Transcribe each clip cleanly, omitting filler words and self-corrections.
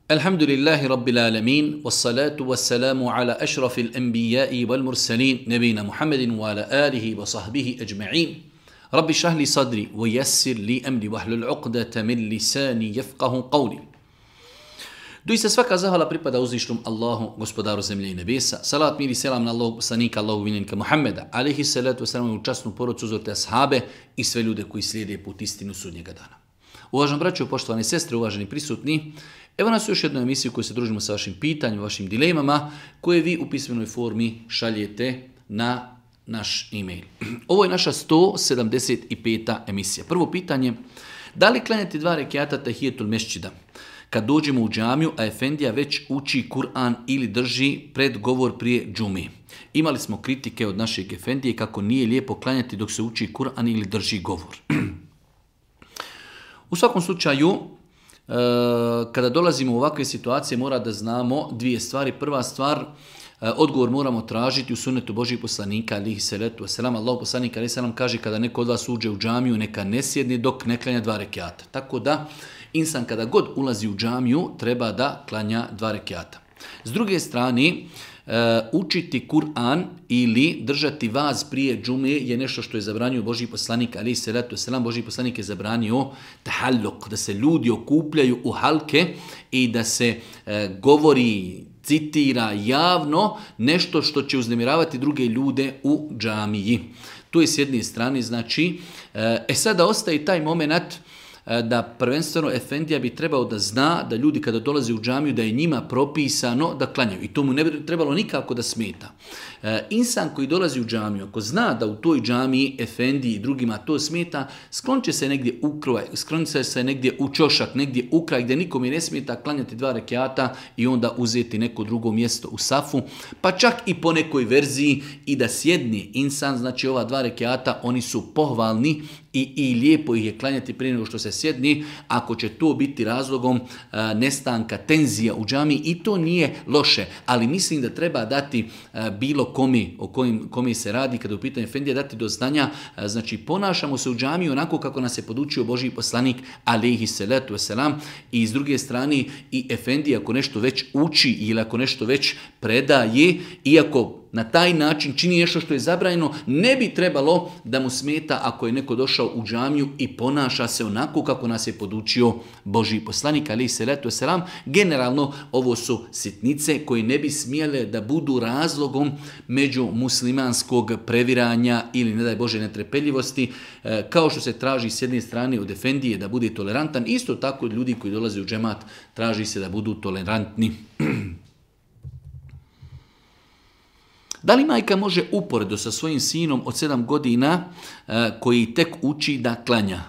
Alhamdulillahi Rabbil Alamin, wassalatu wassalamu ala ašrafil anbijai wal mursalin, nebina Muhammedin wa ala alihi wa sahbihi ajma'in. Rabbi šahli sadri, wa yassir li amri, wahlul uqdata min lisani jefqahu qavli. Doista svaka zahvala pripada uzvišnom Allahu, gospodaru zemlje i nebesa. Salat, mir i selam na Allahu poslanika, Allahu miljenika Muhammeda, alaihi salatu wassalamu, u časnu porodcu, uzorte ashabe i sve ljude koji slijede put istinu sudnjega dana. Uvaženi braćo, poštovane sestre, uvaženi prisutni, evo nas u još jednoj emisiji u kojoj se družimo sa vašim pitanjima, vašim dilemama, koje vi u pismenoj formi šaljete na naš e-mail. Ovo je naša 175. emisija. Prvo pitanje, da li klanjati 2 rekjata tahijetul mesčida kad dođemo u džamiju, a efendija već uči Kur'an ili drži predgovor prije džume? Imali smo kritike od našeg efendije kako nije lijepo klanjati dok se uči Kur'an ili drži govor. U svakom slučaju, kada dolazimo u ovakve situacije, mora da znamo dvije stvari. Prva stvar, odgovor moramo tražiti u sunnetu Božih poslanika, alihi salatu wasalam. Allah poslanik, alihi salam, kaže kada neko od vas uđe u džamiju, neka ne sjedne dok ne klanja 2 rekjata. Tako da, insan kada god ulazi u džamiju, treba da klanja 2 rekjata. S druge strane, učiti Kur'an ili držati vaz prije džume je nešto što je zabranio Božji poslanik, alejhi salatu vesselam. Božji poslanik je zabranio tahalluk, da se ljudi okupljaju u halke i da se govori, citira javno nešto što će uznemiravati druge ljude u džamiji. To je s jedne strane, znači, sada ostaje taj moment da prvenstveno efendija bi trebao da zna da ljudi kada dolaze u džamiju da je njima propisano da klanjaju i to mu ne bi trebalo nikako da smeta. Insan koji dolazi u džamiju, ako zna da u toj džamiji efendiji i drugima to smeta, sklonit će se negdje u kraj, sklonit će se negdje u čošak, negdje u kraj gdje nikome ne smeta klanjati 2 rekjata i onda uzeti neko drugo mjesto u safu, pa čak i po nekoj verziji i da sjedni insan, znači ova 2 rekjata, oni su pohvalni i lijepo ih je klanjati prije nego što se sjedni, ako će to biti razlogom nestanka tenzija u džamiji, i to nije loše, ali mislim da treba dati bilo komi o kome se radi kada u pitanju efendija, dati do znanja, znači ponašamo se u džamiji onako kako nas je podučio Božji poslanik, alejhi salatu vesselam, i s druge strane i efendija ako nešto već uči ili ako nešto već predaje, iako na taj način čini nešto što je zabranjeno, ne bi trebalo da mu smeta ako je neko došao u džamiju i ponaša se onako kako nas je podučio Božji poslanik, alejhi salatu vesselam. Generalno ovo su sitnice koje ne bi smjele da budu razlogom među muslimanskog previranja ili, ne daj Bože, netrpeljivosti, kao što se traži s jedne strane od efendije da bude tolerantan, isto tako od ljudi koji dolaze u džemat traži se da budu tolerantni. Da li majka može uporedo sa svojim sinom od 7 godina koji tek uči da klanja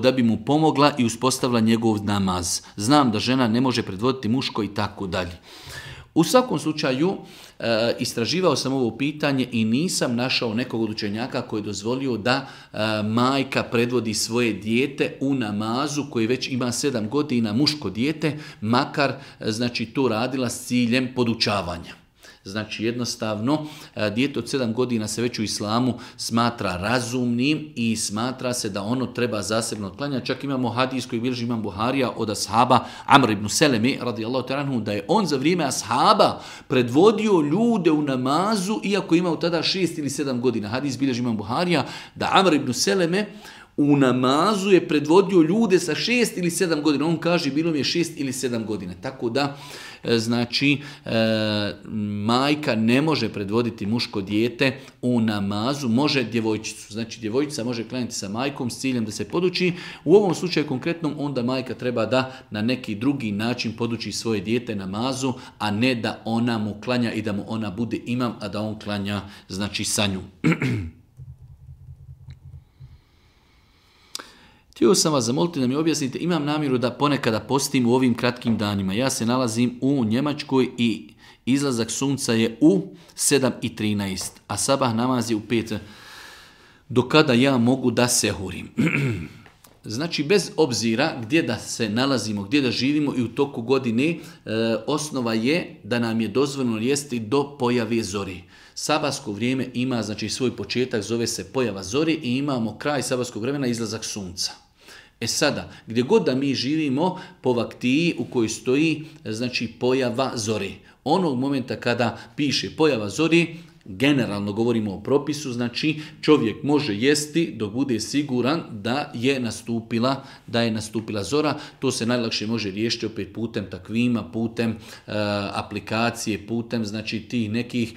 da bi mu pomogla i uspostavila njegov namaz? Znam da žena ne može predvoditi muško i tako dalje. U svakom slučaju, istraživao sam ovo pitanje i nisam našao nekog od učenjaka koji je dozvolio da majka predvodi svoje dijete u namazu koji već ima 7 godina, muško dijete, makar znači to radila s ciljem podučavanja. Znači jednostavno, dijete od 7 godina se već u islamu smatra razumnim i smatra se da ono treba zasebno klanjati. Čak imamo hadis koji bilježi imam Buharija od ashaba Amr ibn Seleme radijallahu ta'ala anhu, da je on za vrijeme ashaba predvodio ljude u namazu iako imao tada 6 ili 7 godina. Hadis bilježi imam Buharija da Amr ibn Seleme u namazu je predvodio ljude sa 6 ili 7 godina. On kaže bilo mi je 6 ili 7 godina. Tako da, znači, majka ne može predvoditi muško dijete u namazu, može djevojčicu. Znači, djevojčica može klanjati sa majkom s ciljem da se poduči. U ovom slučaju konkretnom onda majka treba da na neki drugi način poduči svoje dijete namazu, a ne da ona mu klanja i da mu ona bude imam, a da on klanja, znači, sa nju. Htio sam vas zamoliti da mi objasnite, imam namjeru da ponekada postim u ovim kratkim danima. Ja se nalazim u Njemačkoj i izlazak sunca je u 7:13, a sabah namaz je u 5. Do kada ja mogu da sehurim? Znači, bez obzira gdje da se nalazimo, gdje da živimo i u toku godine, osnova je da nam je dozvoljeno jesti do pojave zori. Sabahsko vrijeme ima, znači, svoj početak, zove se pojava zori, i imamo kraj sabahskog vremena, izlazak sunca. E sada, gdje god da mi živimo, po vaktiji u kojoj stoji, znači pojava zori. Onog momenta kada piše pojava zori, generalno govorimo o propisu, znači čovjek može jesti dok bude siguran da je nastupila zora. To se najlakše može riješiti opet putem takvima, putem aplikacije, putem znači tih nekih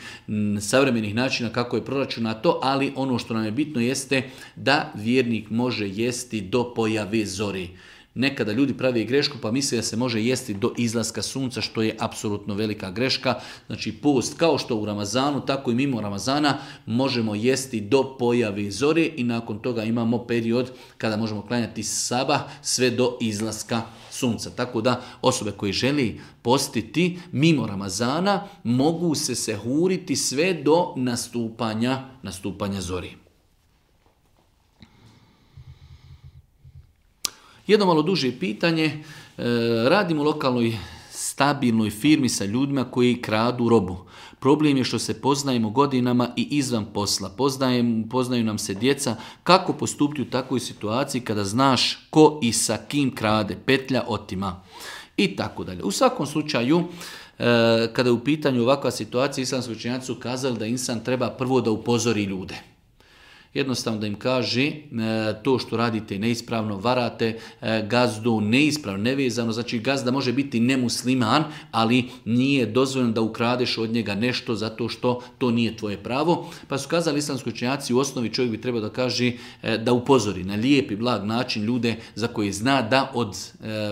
savremenih načina kako je proračunato, ali ono što nam je bitno jeste da vjernik može jesti do pojave zori. Nekada ljudi pravi grešku pa misle da se može jesti do izlaska sunca, što je apsolutno velika greška. Znači post kao što u Ramazanu, tako i mimo Ramazana možemo jesti do pojave zore i nakon toga imamo period kada možemo klanjati sabah sve do izlaska sunca. Tako da osobe koje želi postiti mimo Ramazana mogu se sehuriti sve do nastupanja zori. Jedno malo duže pitanje, radim u lokalnoj stabilnoj firmi sa ljudima koji kradu robu. Problem je što se poznajemo godinama i izvan posla. Poznaju nam se djeca. Kako postupiti u takvoj situaciji kada znaš ko i sa kim krade, petlja otima i tako dalje. U svakom slučaju, kada je u pitanju ovakva situacija, islamski učenjaci su kazali da insan treba prvo da upozori ljude. Jednostavno da im kaže to što radite neispravno, varate gazdu neispravno, nevezano, znači gazda može biti nemusliman, ali nije dozvoljeno da ukradeš od njega nešto zato što to nije tvoje pravo. Pa su kazali islamski učenjaci, u osnovi čovjek bi trebao da kaže da upozori na lijep i blag način ljude za koje zna da od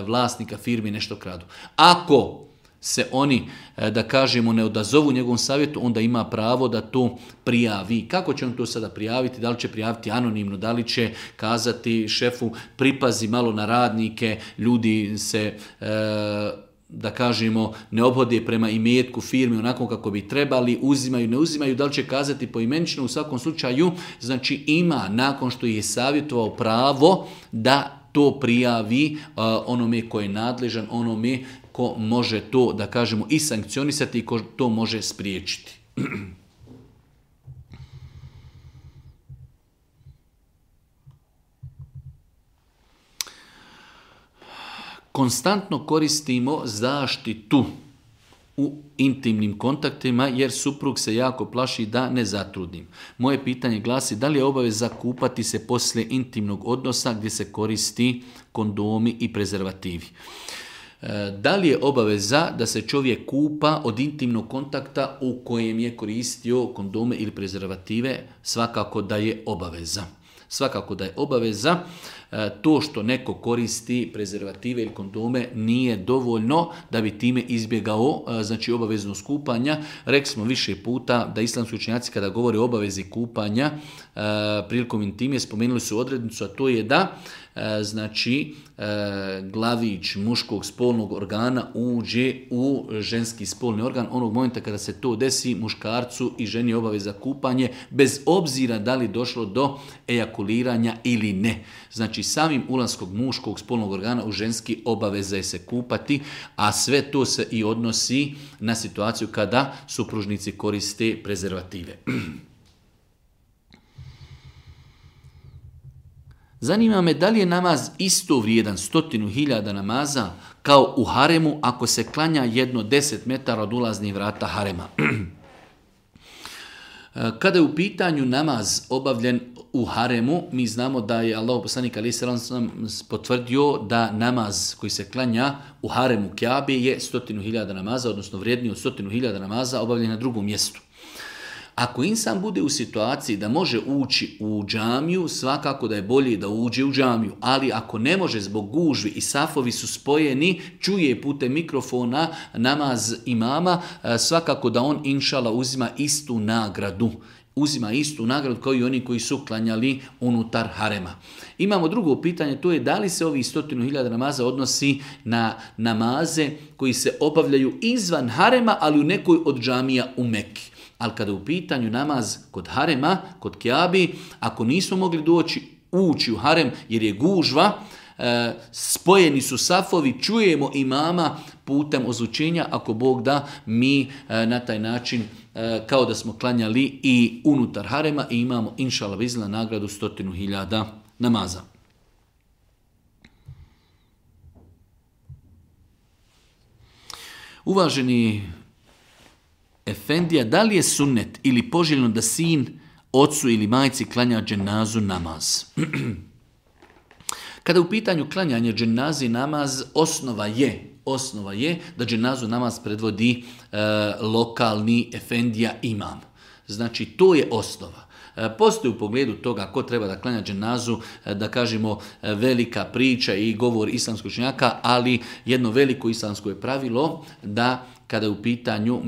vlasnika firmi nešto kradu. Ako se oni, da kažemo, ne odazovu njegovom savjetu, onda ima pravo da to prijavi. Kako će on to sada prijaviti? Da li će prijaviti anonimno? Da li će kazati šefu pripazi malo na radnike, ljudi se, da kažemo, ne obhode prema imetku firme onako kako bi trebali, uzimaju, ne uzimaju, da li će kazati poimenično? U svakom slučaju, znači ima, nakon što je savjetovao, pravo da to prijavi onome ko je nadležan, onome ko može to, da kažemo, i sankcionisati i ko to može spriječiti. Konstantno koristimo zaštitu u intimnim kontaktima jer suprug se jako plaši da ne zatrudim. Moje pitanje glasi da li je obaveza kupati se poslije intimnog odnosa gdje se koristi kondomi i prezervativi. Da li je obaveza da se čovjek kupa od intimnog kontakta u kojem je koristio kondome ili prezervative? Svakako da je obaveza. Svakako da je obaveza. To što neko koristi prezervative ili kondome nije dovoljno da bi time izbjegao znači obaveznost kupanja. Rekli smo više puta da islamski učenjaci kada govore o obavezi kupanja prilikom intime spomenuli su odrednicu, a to je da znači glavić muškog spolnog organa uđe u ženski spolni organ. Onog momenta kada se to desi, muškarcu i ženi je obaveza kupanje bez obzira da li došlo do ejakuliranja ili ne. Znači samim ulaskom muškog spolnog organa u ženski obaveza je se kupati, a sve to se i odnosi na situaciju kada supružnici koriste prezervative. Zanima me da li je namaz isto vrijedan 100.000 namaza kao u haremu ako se klanja jedno 10 metara od ulaznih vrata harema. Kada je u pitanju namaz obavljen u haremu, mi znamo da je Allahov poslanik alejhi selam potvrdio da namaz koji se klanja u haremu Kjabe je 100.000 namaza, odnosno vrijedniji od 100.000 namaza obavljen na drugom mjestu. Ako insan bude u situaciji da može ući u džamiju, svakako da je bolje da uđe u džamiju, ali ako ne može zbog gužvi i safovi su spojeni, čuje putem mikrofona namaz imama, svakako da on inšala uzima istu nagradu. Uzima istu nagradu kao i oni koji su klanjali unutar harema. Imamo drugo pitanje, to je da li se ovih 100.000 namaza odnosi na namaze koji se obavljaju izvan harema, ali u nekoj od džamija u Mekki. Ali kada je u pitanju namaz kod harema, kod Kjabi, ako nismo mogli ući u harem jer je gužva, spojeni su safovi, čujemo imama putem ozvučenja, ako Bog da, mi na taj način kao da smo klanjali i unutar harema i imamo inšallah vizla nagradu 100.000 namaza. Uvaženi efendija, da li je sunnet ili poželjno da sin ocu ili majci klanja dženazu namaz? Kada je u pitanju klanjanje dženazi namaz, osnova je da dženazu namaz predvodi lokalni efendija imam. Znači, to je osnova. Postoji u pogledu toga ko treba da klanja dženazu, da kažemo velika priča i govor islamskog učenjaka, ali jedno veliko islamsko je pravilo da kada je u pitanju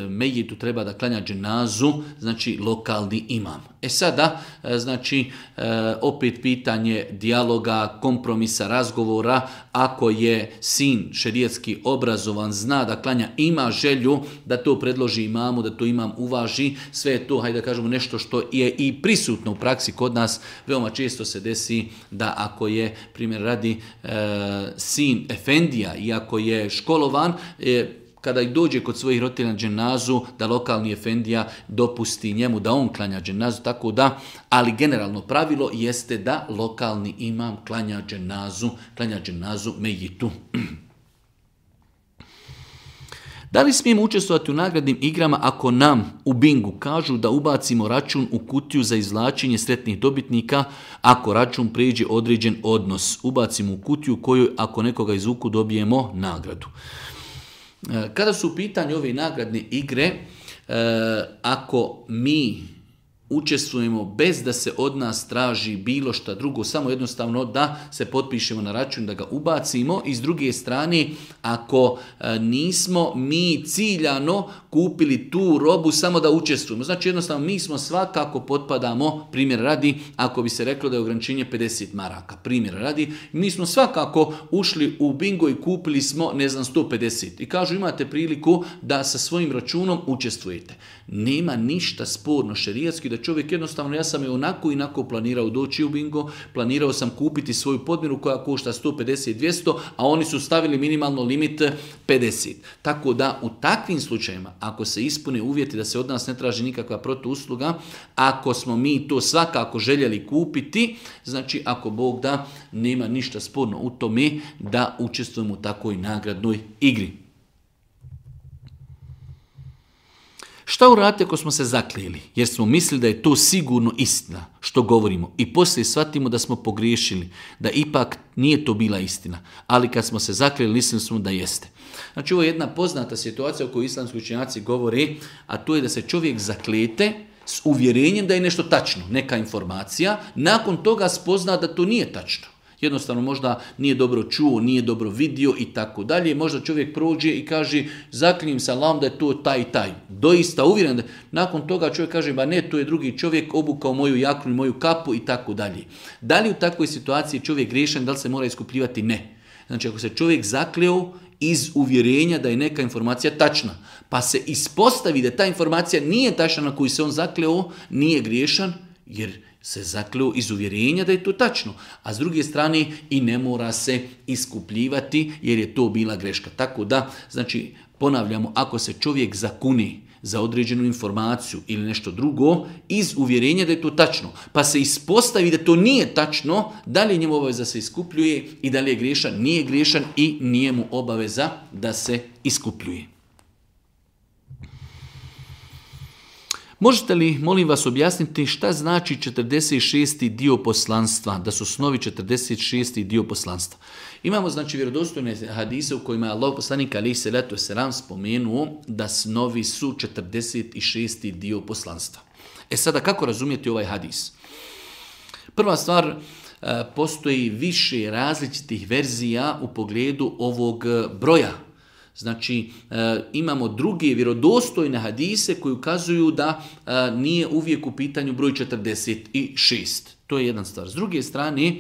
mejitu treba da klanja dženazu, znači lokalni imam. Sada, znači, opet pitanje dijaloga, kompromisa, razgovora, ako je sin šerijatski obrazovan, zna da klanja, ima želju da to predloži imamu, da to imam uvaži, sve je to, hajde da kažemo, nešto što je i prisutno u praksi kod nas. Veoma često se desi da ako je, primjer radi, sin efendija i ako je školovan, kada ih dođe kod svojih roditelja na dženazu, da lokalni efendija dopusti njemu da on klanja dženazu, tako da, ali generalno pravilo jeste da lokalni imam klanja dženazu mejitu. Da li smijemo učestvovati u nagradnim igrama ako nam u bingu kažu da ubacimo račun u kutiju za izvlačenje sretnih dobitnika, ako račun prijeđe određen odnos? Ubacimo u kutiju koju ako nekoga izvuku dobijemo nagradu. Kada su u pitanju ove nagradne igre, ako mi učestvujemo bez da se od nas traži bilo šta drugo, samo jednostavno da se potpišemo na račun, da ga ubacimo, i s druge strane, ako nismo mi ciljano kupili tu robu samo da učestvujemo, znači jednostavno mi smo svakako potpadamo, primjer radi, ako bi se reklo da je ograničenje 50 maraka, primjer radi, mi smo svakako ušli u bingo i kupili smo, 150. I kažu, imate priliku da sa svojim računom učestvujete. Nema ništa sporno šerijatski da čovjek jednostavno, ja sam je onako i onako planirao doći u bingo, planirao sam kupiti svoju podmiru koja košta 150-200, a oni su stavili minimalno limit 50. Tako da u takvim slučajima, ako se ispune uvjeti da se od nas ne traži nikakva protuusluga, ako smo mi to svakako željeli kupiti, znači ako Bog da, nema ništa sporno u tome da učestvujemo u takvoj nagradnoj igri. Šta uraditi ako smo se zaklijeli, jer smo mislili da je to sigurno istina što govorimo i poslije shvatimo da smo pogriješili, da ipak nije to bila istina, ali kad smo se zaklijeli mislili smo da jeste. Znači, ovo je jedna poznata situacija o kojoj islamski učenjaci govore, a to je da se čovjek zaklijete s uvjerenjem da je nešto tačno, neka informacija, nakon toga spozna da to nije tačno. Jednostavno možda nije dobro čuo, nije dobro vidio i tako dalje. Možda čovjek prođe i kaže, zaklinjem se Allahom da je to taj i taj. Doista uvjeren da nakon toga čovjek kaže, ba ne, to je drugi čovjek, obukao moju jaknu i moju kapu i tako dalje. Da li u takvoj situaciji čovjek griješan, da li se mora iskupljivati? Ne. Znači, ako se čovjek zakleo iz uvjerenja da je neka informacija tačna, pa se ispostavi da ta informacija nije tačna na koju se on zakleo, nije griješan, jer se zakleo iz uvjerenja da je to tačno. A s druge strane i ne mora se iskupljivati jer je to bila greška. Tako da, znači, ponavljamo, ako se čovjek zakuni za određenu informaciju ili nešto drugo iz uvjerenja da je to tačno, pa se ispostavi da to nije tačno, da li je njemu obaveza se iskupljuje i da li je griješan? Nije griješan i nije mu obaveza da se iskupljuje. Možete li, molim vas, objasniti šta znači 46. dio poslanstva, da su snovi 46. dio poslanstva? Imamo, znači, vjerodostojne hadise u kojima je Allah poslanik alejhi selatu vesselam spomenuo da snovi su 46. dio poslanstva. Sada, kako razumjeti ovaj hadis? Prva stvar, postoji više različitih verzija u pogledu ovog broja. Znači, imamo druge vjerodostojne hadise koji ukazuju da nije uvijek u pitanju broj 46. To je jedna stvar. S druge strane,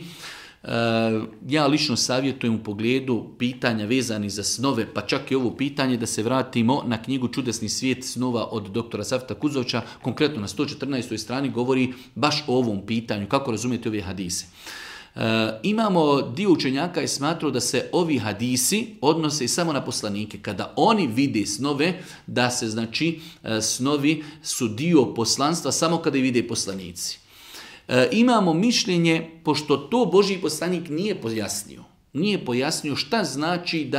ja lično savjetujem u pogledu pitanja vezanih za snove, pa čak i ovo pitanje da se vratimo na knjigu Čudesni svijet snova od doktora Safeta Kuzovća, konkretno na 114. strani govori baš o ovom pitanju, kako razumijete ove hadise. Imamo dio učenjaka je smatrao da se ovi hadisi odnose samo na poslanike. Kada oni vide snove, da se, znači, snovi su dio poslanstva samo kada i vide poslanici. Imamo mišljenje, pošto to Božji poslanik nije pojasnio, Nije pojasnio šta znači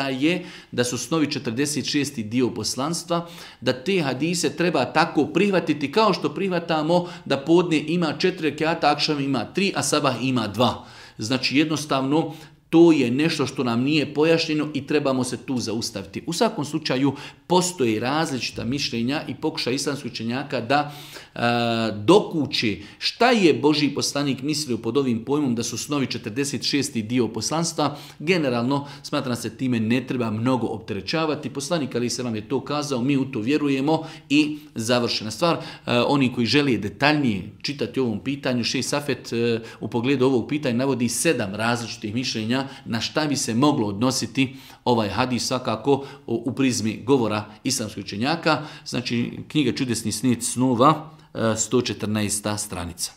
da su snovi 46. dio poslanstva, da te hadise treba tako prihvatiti kao što prihvatamo da podne ima 4 rekata, akšam ima 3, a sabah ima 2. Znači jednostavno to je nešto što nam nije pojašnjeno i trebamo se tu zaustaviti. U svakom slučaju postoje različita mišljenja i pokušaj islamskih učenjaka da dokući šta je Božji poslanik mislio pod ovim pojmom da su snovi 46. dio poslanstva. Generalno smatram se time ne treba mnogo opterećavati. Poslanik alejhi selam je to kazao, mi u to vjerujemo i završena stvar. Oni koji žele detaljnije čitati o ovom pitanju, Šejh Safet u pogledu ovog pitanja navodi 7 različitih mišljenja na šta bi se moglo odnositi ovaj hadis, svakako u prizmi govora islamskih učenjaka. Znači knjiga Čudesni snici snova, 114. stranica.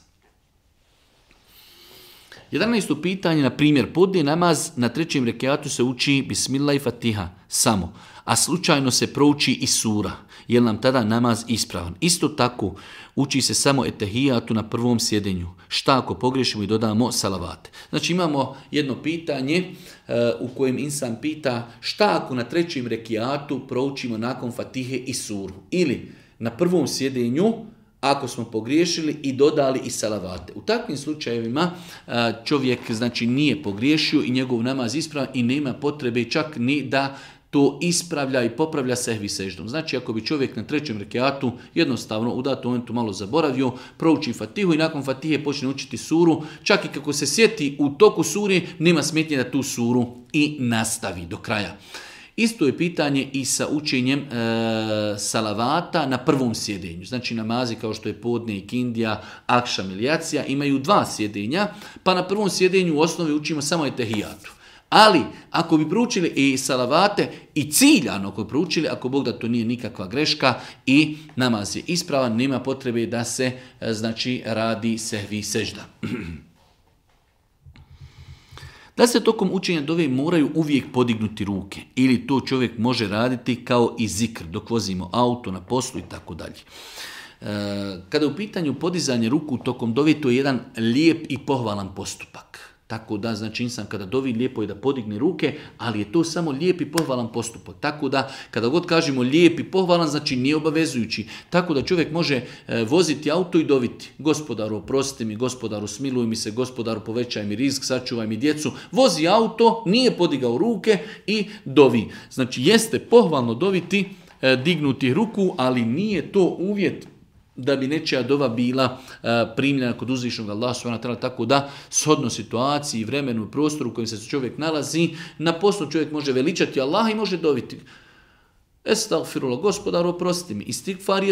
11. pitanje, na primjer, podne namaz na 3. rekiatu se uči Bismillah i Fatiha samo, a slučajno se prouči i sura, je li nam tada namaz ispravan? Isto tako, uči se samo etehijatu na prvom sjedenju. Šta ako pogriješimo i dodamo salavate? Znači imamo jedno pitanje u kojem insan pita šta ako na 3. rekiatu proučimo nakon Fatihe i suru? Ili na prvom sjedenju ako smo pogriješili i dodali i salavate. U takvim slučajevima čovjek znači nije pogriješio i njegov namaz ispravan i nema potrebe čak ni da to ispravlja i popravlja sehvi seždom. Znači ako bi čovjek na 3. rekiatu jednostavno u datom momentu malo zaboravio, prouči Fatihu i nakon Fatihe počne učiti suru, čak i kako se sjeti u toku suri, nema smetnje da tu suru i nastavi do kraja. Isto je pitanje i sa učenjem salavata na prvom sjedenju. Znači namazi kao što je podne i kindija, akšam ili jacija imaju 2 sjedenja, pa na prvom sjedenju u osnovi učimo samo etehijatu. Ali ako bi proučili i salavate i ciljano ako bi proučili, ako Bog da to nije nikakva greška i namaz je ispravan, nema potrebe da se znači radi sehvi sežda. Da se tokom učenja dove moraju uvijek podignuti ruke ili to čovjek može raditi kao i zikr dok vozimo auto, na poslu i tako dalje. Kada je u pitanju podizanje ruku tokom dove, to je jedan lijep i pohvalan postupak. Tako da, znači insan kada dovi lijepo je da podigne ruke, ali je to samo lijep i pohvalan postupak. Tako da, kada god kažemo lijep i pohvalan, znači nije obavezujući. Tako da čovjek može voziti auto i doviti. Gospodaru, oprosti mi, gospodaru, smiluj mi se, gospodaru, povećaj mi rizk, sačuvaj mi djecu. Vozi auto, nije podigao ruke i dovi. Znači, jeste pohvalno doviti, dignuti ruku, ali nije to uvjet da bi nečija dova bila primljena kod uzvišnog Allaha subhanahu wa ta'ala, tako da shodno situaciji, vremenu i prostoru u kojem se čovjek nalazi, na poslu čovjek može veličati Allaha i može doviti. Estagfirullah, gospodaru, oprosti mi. Istigfar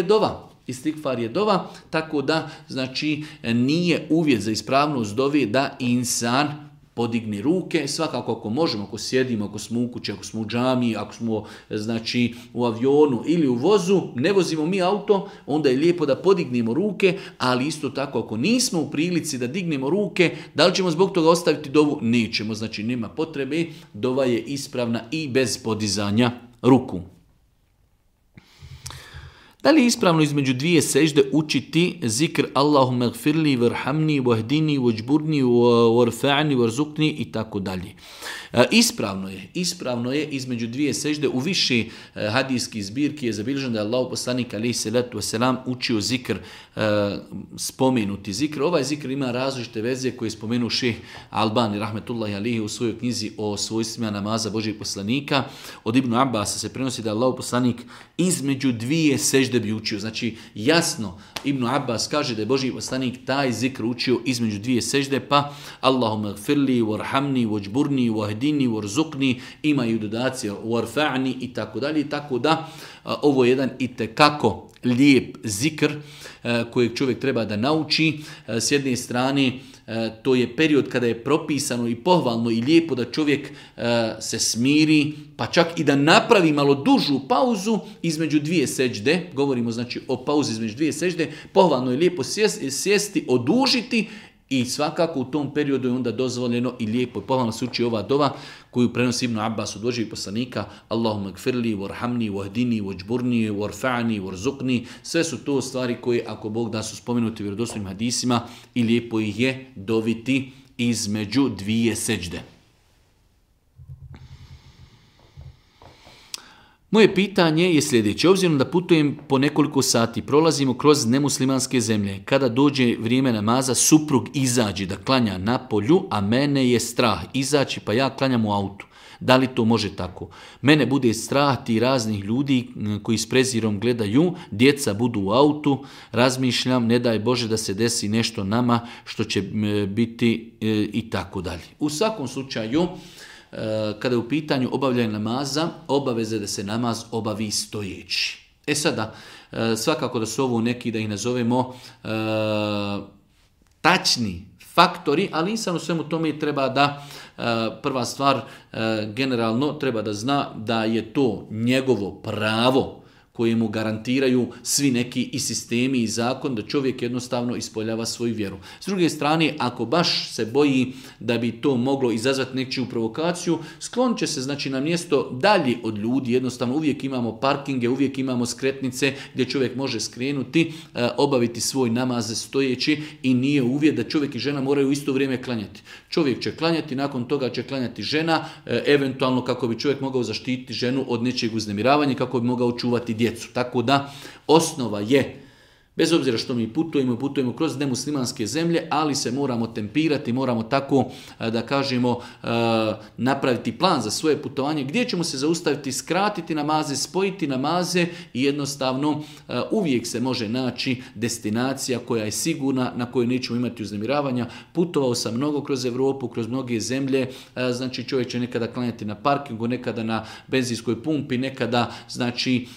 je dova, tako da znači nije uvjet za ispravnost dove da insan podigne ruke, svakako ako možemo, ako sjedimo, ako smo u kući, ako smo u džamiji, ako smo znači u avionu ili u vozu, ne vozimo mi auto, onda je lijepo da podignemo ruke, ali isto tako ako nismo u prilici da dignemo ruke, da li ćemo zbog toga ostaviti dovu? Nećemo, znači nema potrebe, dova je ispravna i bez podizanja ruku. Da li je ispravno između 2 sežde učiti zikr Allahumma gfirli, varhamni, vahdini, vajburni, varfa'ni, varzukni i tako dalje. Ispravno je između 2 sežde u više hadijskih zbirki je zabilježeno da je Allah poslanik alejhi selatu vesselam učio zikr, spomenuti zikr. Ovaj zikr ima različite verzije koje je spomenuo Šejh Albani rahmetullahi alejhi u svojoj knjizi o svojstvima namaza Božjeg poslanika. Od Ibn Abbasa se prenosi da je Allah poslanik između 2 sežde bi učio. Znači jasno Ibn Abbas kaže da je Božji poslanik taj zikr učio između 2 sežde, pa Allahumma gfirli, varhamni, vajburni, vahdini, varzukni, imaju dodacije varfa'ni i tako dalje. Tako da ovo je jedan itekako lijep zikr kojeg čovjek treba da nauči. S jedne strane to je period kada je propisano i pohvalno i lijepo da čovjek se smiri, pa čak i da napravi malo dužu pauzu između 2 sežde. Govorimo znači o pauzi između 2 sežde. Pohvalno je lijepo sjesti, odužiti i svakako u tom periodu je onda dozvoljeno i lijepo i pohvalno se uči ova dova koju prenosi Ibn Abbas od Božjeg poslanika. Allahumma gfirli, varhamni, vahdini, vajburni, varfa'ni, varzukni. Sve su to stvari koje, ako Bog da, su spomenuti u vjerodostojnim hadisima i lijepo ih je doviti između 2 sežde. Moje pitanje je sljedeće. Obzirom da putujem po nekoliko sati, prolazimo kroz nemuslimanske zemlje. Kada dođe vrijeme namaza, suprug izađe da klanja na polju, a mene je strah izaći pa ja klanjam u autu. Da li to može tako? Mene bude strah ti raznih ljudi koji s prezirom gledaju, djeca budu u autu, razmišljam, ne daj Bože da se desi nešto nama što će biti i tako dalje. U svakom slučaju, kada je u pitanju obavljanje namaza, obaveze da se namaz obavi stojeći. Sada, svakako da su ovo neki, da ih nazovemo, tačni faktori, ali insan u svemu tome treba da, prva stvar, generalno treba da zna da je to njegovo pravo koje mu garantiraju svi neki i sistemi i zakon, da čovjek jednostavno ispoljava svoju vjeru. S druge strane, ako baš se boji da bi to moglo izazvati nečiju provokaciju, sklonit će se znači na mjesto dalje od ljudi, jednostavno uvijek imamo parkinge, uvijek imamo skretnice gdje čovjek može skrenuti, obaviti svoj namaz stojeći i nije uvjet da čovjek i žena moraju u isto vrijeme klanjati. Čovjek će klanjati, nakon toga će klanjati žena, eventualno kako bi čovjek mogao zaštititi ženu od nečijeg uznemiravanja, kako bi mogao čuvati djecu. Tako da osnova je, bez obzira što mi putujemo kroz nemuslimanske zemlje, ali se moramo tempirati, moramo tako da kažemo napraviti plan za svoje putovanje, gdje ćemo se zaustaviti, skratiti namaze, spojiti namaze i jednostavno uvijek se može naći destinacija koja je sigurna, na kojoj nećemo imati uznemiravanja. Putovao sam mnogo kroz Europu, kroz mnoge zemlje, znači čovjek će nekada klanjati na parkingu, nekada na benzinskoj pumpi, nekada znači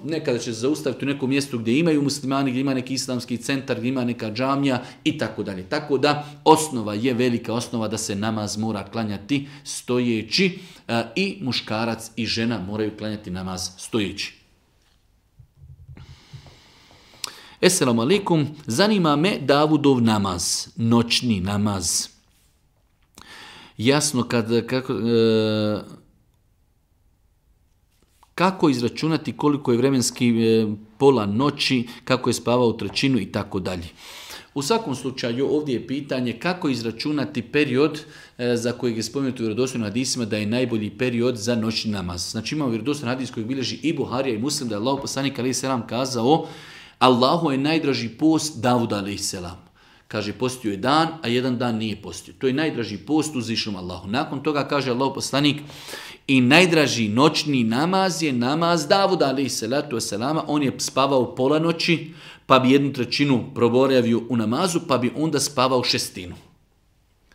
nekada će se zaustaviti u nekom mjestu gdje imaju muslimani, gdje ima neki islamski centar, gdje ima neka džamija i tako dalje. Tako da osnova je velika osnova da se namaz mora klanjati stojeći i muškarac i žena moraju klanjati namaz stojeći. Esselamu alaikum, zanima me Davudov namaz, noćni namaz. Jasno kako izračunati koliko je vremenski pola noći, kako je spavao trećinu i tako dalje. U svakom slučaju ovdje je pitanje kako izračunati period za kojeg je spomenuto u vjerodostojnim hadisima da je najbolji period za noćni namaz. Znači imamo vjerodostojan hadis koji bilježi i Buharija i Muslim da je Allahov poslanik alejhi selam kazao: Allahu je najdraži post Davuda alejhi selam. Kaže, postio je dan, a jedan dan nije postio. To je najdraži post uzvišenom Allahu. Nakon toga kaže Allahov poslanik: i najdraži noćni namaz je namaz Davuda alejhi salatu vesselama. On je spavao pola noći, pa bi 1/3 proboravio u namazu, pa bi onda spavao 1/6.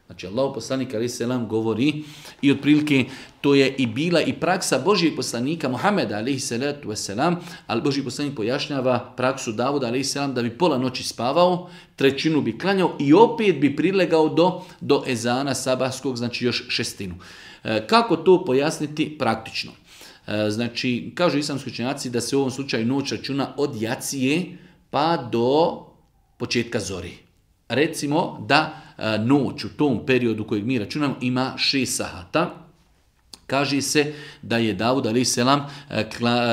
Znači Allahov poslanik alejhi selam govori i otprilike to je i bila i praksa Božijeg poslanika Muhameda alejhi salatu vesselam, ali Božji poslanik pojašnjava praksu Davuda alejhi selam da bi pola noći spavao, 1/3 bi klanjao i opet bi prilegao do ezana sabahskog, znači još 1/6. Kako to pojasniti praktično? Znači, kažu islamski učenjaci da se u ovom slučaju noć računa od jacije pa do početka zori. Recimo da noć u tom periodu kojeg mi računamo ima 6 sahata. Kaže se da je Davud alejhi selam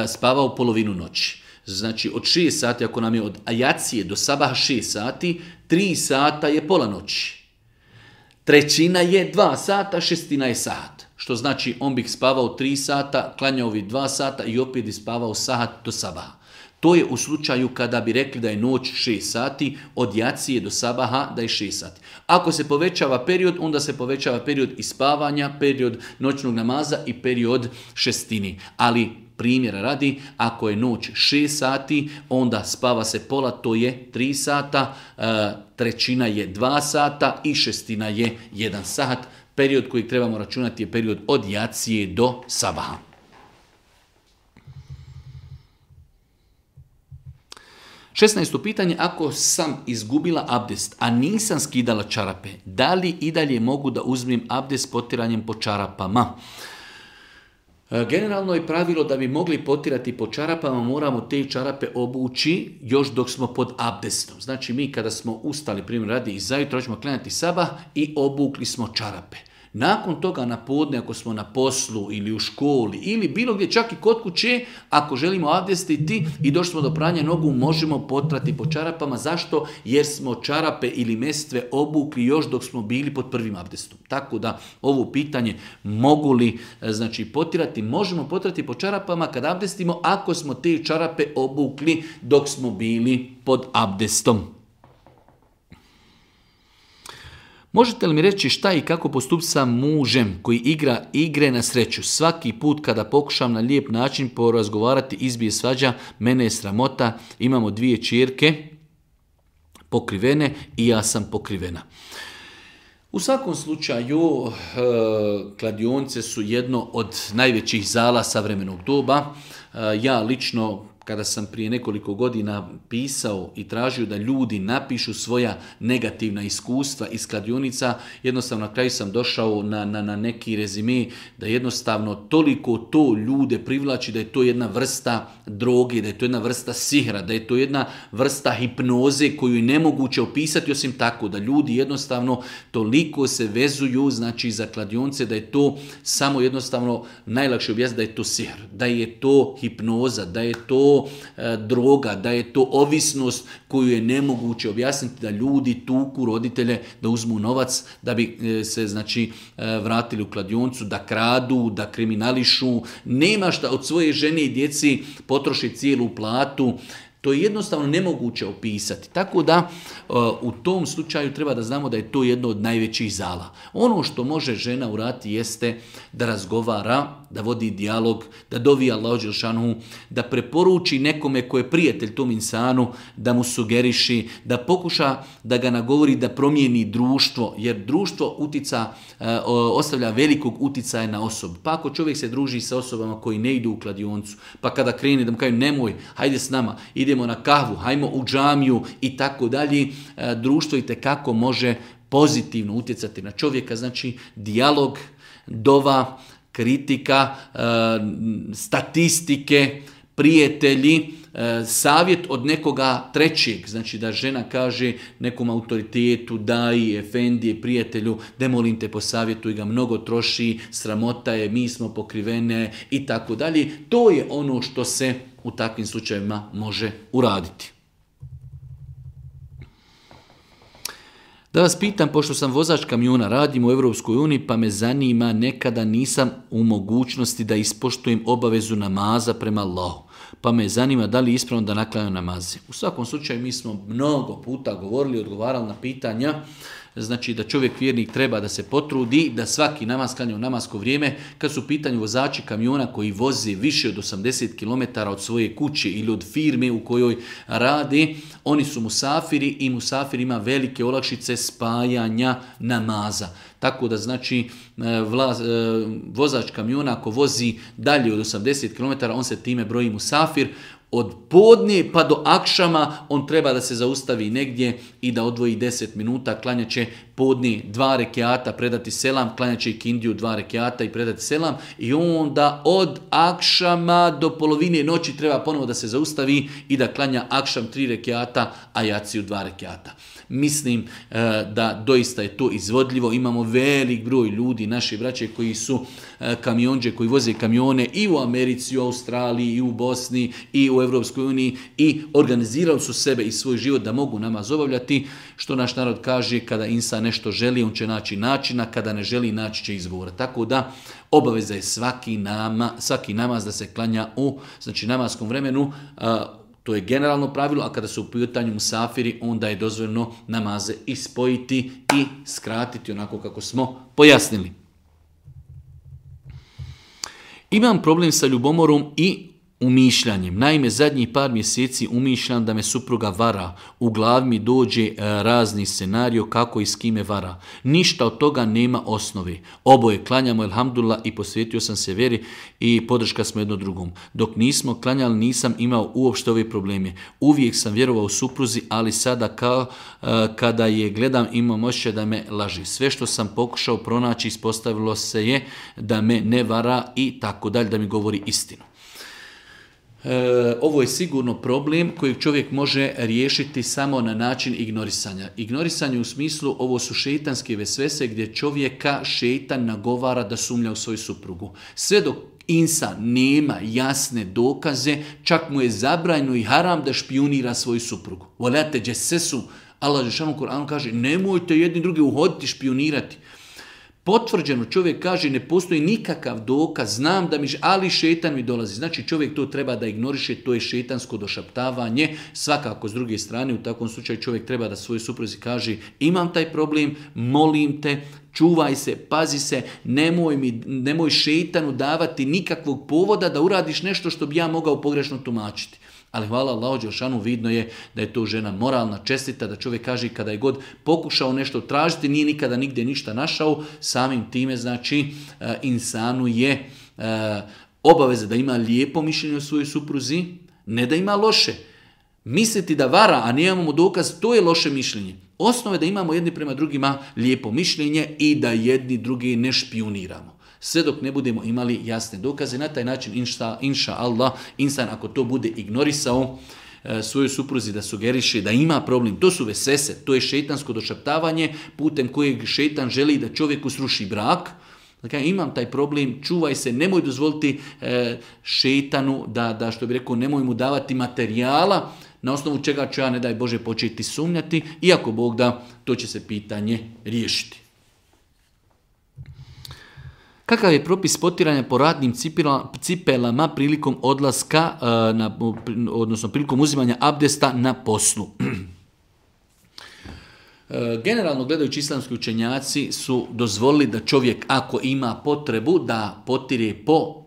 spavao polovinu noći. Znači od 6 sati, ako nam je od jacije do sabaha 6 sati, 3 sata je pola noći. 1/3 je 2 sata, 1/6 je sat. Što znači on bi spavao 3 sata, klanjao bi 2 sata i opet bi spavao sat do sabaha. To je u slučaju kada bi rekli da je noć 6 sati, od jacije do sabaha da je 6 sati. Ako se povećava period, onda se povećava period ispavanja, period noćnog namaza i period 1/6. Ali primjera radi, ako je noć 6 sati, onda spava se pola, to je 3 sata, 1/3 je 2 sata i 1/6 je 1 sat. Period koji trebamo računati je period od jacije do sabaha. Šesnaesto pitanje, ako sam izgubila abdest, a nisam skidala čarape, da li i dalje mogu da uzmem abdest potiranjem po čarapama? Generalno je pravilo da bi mogli potirati po čarapama, moramo te čarape obući još dok smo pod abdestom. Znači mi kada smo ustali, primjer radi, i zajutro ćemo klanjati sabah i obukli smo čarape. Nakon toga na podne, ako smo na poslu ili u školi ili bilo gdje, čak i kod kuće, ako želimo abdestiti i došli smo do pranja nogu, možemo potrati po čarapama. Zašto? Jer smo čarape ili mestve obukli još dok smo bili pod prvim abdestom. Tako da ovo pitanje mogu li potirati, možemo potrati po čarapama kad abdestimo ako smo te čarape obukli dok smo bili pod abdestom. Možete li mi reći šta i kako postupiti sa mužem koji igra igre na sreću? Svaki put kada pokušam na lijep način porazgovarati, izbije svađa, mene je sramota, imamo 2 ćerke pokrivene i ja sam pokrivena. U svakom slučaju, kladionice su jedno od najvećih zala savremenog doba. Ja lično, kada sam prije nekoliko godina pisao i tražio da ljudi napišu svoja negativna iskustva iz kladionica, jednostavno na kraju sam došao na neki rezime da jednostavno toliko to ljude privlači da je to jedna vrsta droge, da je to jedna vrsta sihra, da je to jedna vrsta hipnoze koju je nemoguće opisati osim tako, da ljudi jednostavno toliko se vezuju za kladionce da je to samo jednostavno najlakše objasniti da je to sihr, da je to hipnoza, da je to droga, da je to ovisnost koju je nemoguće objasniti, da ljudi tuku roditelje da uzmu novac da bi se vratili u kladioncu, da kradu, da kriminališu, nema šta od svoje žene i djeci potroši cijelu platu. To je jednostavno nemoguće opisati. Tako da u tom slučaju treba da znamo da je to jedno od najvećih zala. Ono što može žena uraditi jeste da razgovara, da vodi dijalog, da dovi Allahu dželešanu, da preporuči nekome ko je prijatelj tom insanu, da mu sugeriši, da pokuša da ga nagovori da promijeni društvo, jer društvo ostavlja velikog uticaja na osobu. Pa ako čovjek se druži sa osobama koji ne idu u kladioncu, pa kada krene da mu kažu nemoj, hajde s nama, idemo na kahvu, hajmo u džamiju i tako dalje, društvo itekako može pozitivno utjecati na čovjeka. Znači dijalog, dova, kritika, statistike, prijatelji, savjet od nekoga trećeg, znači da žena kaže nekom autoritetu, daji, efendije, prijatelju, da molim te posavjetuj ga, mnogo troši, sramota je, mi smo pokrivene i tako dalje. To je ono što se u takvim slučajevima može uraditi. Da vas pitam, pošto sam vozač kamiona, radim u Europskoj uniji, pa me zanima, nekada nisam u mogućnosti da ispoštujem obavezu namaza prema Allahu. Pa me zanima da li je ispravno da naklanjam namaze. U svakom slučaju mi smo mnogo puta govorili, odgovarali na pitanja, znači da čovjek vjernik treba da se potrudi, da svaki namaz klanja u namasko vrijeme. Kad su u pitanju vozači kamiona koji voze više od 80 km od svoje kuće ili od firme u kojoj rade, oni su musafiri i musafir ima velike olakšice spajanja namaza. Tako da znači vozač kamiona ako vozi dalje od 80 km, on se time broji musafir. Od podne pa do akšama on treba da se zaustavi negdje i da odvoji 10 minuta, klanjat će podne 2 rekiata, predati selam, klanjat će ikindiju 2 rekiata i predati selam i onda od akšama do polovine noći treba ponovo da se zaustavi i da klanja akšam 3 rekiata, a jaciju 2 rekiata. Mislim da doista je to izvodljivo. Imamo velik broj ljudi, naši braće koji su kamionđe, koji voze kamione i u Americi, i u Australiji, i u Bosni, i u Europskoj uniji i organizirali su sebe i svoj život da mogu namaz obavljati. Što naš narod kaže, kada insan nešto želi, on će naći načina, kada ne želi, naći će izgovora. Tako da obaveza je svaki namaz da se klanja u namaskom vremenu. To je generalno pravilo, a kada su u pitanju musafiri, onda je dozvoljeno namaze ispojiti i skratiti onako kako smo pojasnili. Imam problem sa ljubomorom i umišljanjem. Naime, zadnjih par mjeseci umišljam da me supruga vara. U glavi mi dođe razni scenario kako i s kime vara. Ništa od toga nema osnove. Oboje klanjamo, elhamdulillah, i posvetio sam se vjeri i podrška smo jedno drugom. Dok nismo klanjali nisam imao uopšte ove probleme. Uvijek sam vjerovao supruzi, ali sada kada je gledam imam osjećaj da me laži. Sve što sam pokušao pronaći ispostavilo se je da me ne vara i tako dalje, da mi govori istinu. Ovo je sigurno problem kojeg čovjek može riješiti samo na način ignorisanja. Ignorisanje u smislu, ovo su šeitanske vesvese gdje čovjeka šeitan nagovara da sumnja u svoju suprugu. Sve dok insan nema jasne dokaze, čak mu je zabranjeno i haram da špijunira svoju suprugu. Volate džesesu, Allah džešanu u Kur'anu kaže, nemojte jedni drugi uhoditi, špijunirati. Potvrđeno čovjek kaže ne postoji nikakav dokaz, znam da ali šetan mi dolazi. Znači čovjek to treba da ignoriše, to je šetansko došaptavanje. Svakako s druge strane u takvom slučaju čovjek treba da svojoj supruzi kaže imam taj problem, molim te, čuvaj se, pazi se, nemoj šetanu davati nikakvog povoda da uradiš nešto što bi ja mogao pogrešno tumačiti. Ali hvala Allahu dželešanu, vidno je da je to žena moralna, čestita, da čovjek kaže kada je god pokušao nešto tražiti, nije nikada nigdje ništa našao, samim time znači insanu je obaveza da ima lijepo mišljenje o svojoj supruzi, ne da ima loše. Misliti da vara, a nemamo dokaz, to je loše mišljenje. Osnova je da imamo jedni prema drugima lijepo mišljenje i da jedni drugi ne špijuniramo. Sve dok ne budemo imali jasne dokaze, na taj način, inša Allah, insan ako to bude ignorisao svojoj supruzi da sugeriše da ima problem, to su vesvese, to je šeitansko došaptavanje putem kojeg šeitan želi da čovjeku sruši brak. Dakle, imam taj problem, čuvaj se, nemoj dozvoliti šeitanu da što bi rekao, nemoj mu davati materijala na osnovu čega ću ja, ne daj Bože, početi sumnjati, iako Bog da, to će se pitanje riješiti. Kakav je propis potiranja po radnim cipelama prilikom odlaska, odnosno prilikom uzimanja abdesta na poslu? Generalno gledajući islamski učenjaci su dozvolili da čovjek ako ima potrebu da potire po